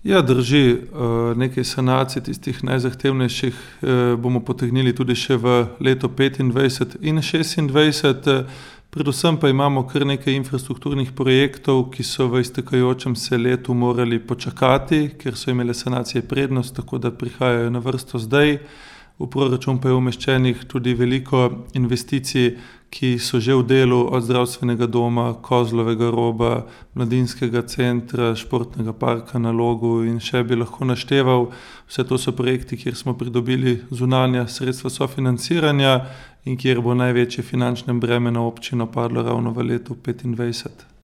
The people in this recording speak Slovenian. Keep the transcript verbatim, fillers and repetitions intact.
Ja, drži. Nekaj sanacij tistih najzahtevnejših bomo potegnili tudi še v leto petindvajset in šestindvajset. Predvsem pa imamo kar nekaj infrastrukturnih projektov, ki so v iztekajočem se letu morali počakati, ker so imele sanacije prednost, tako da prihajajo na vrsto zdaj. V proračun pa je umeščenih tudi veliko investicij, ki so že v delu, od zdravstvenega doma, Kozlovega roba, mladinskega centra, športnega parka na Logu in še bi lahko našteval. Vse to so projekti, kjer smo pridobili zunanja sredstva sofinanciranja in kjer bo največje finančno breme na občino padlo ravno v letu petindvajset.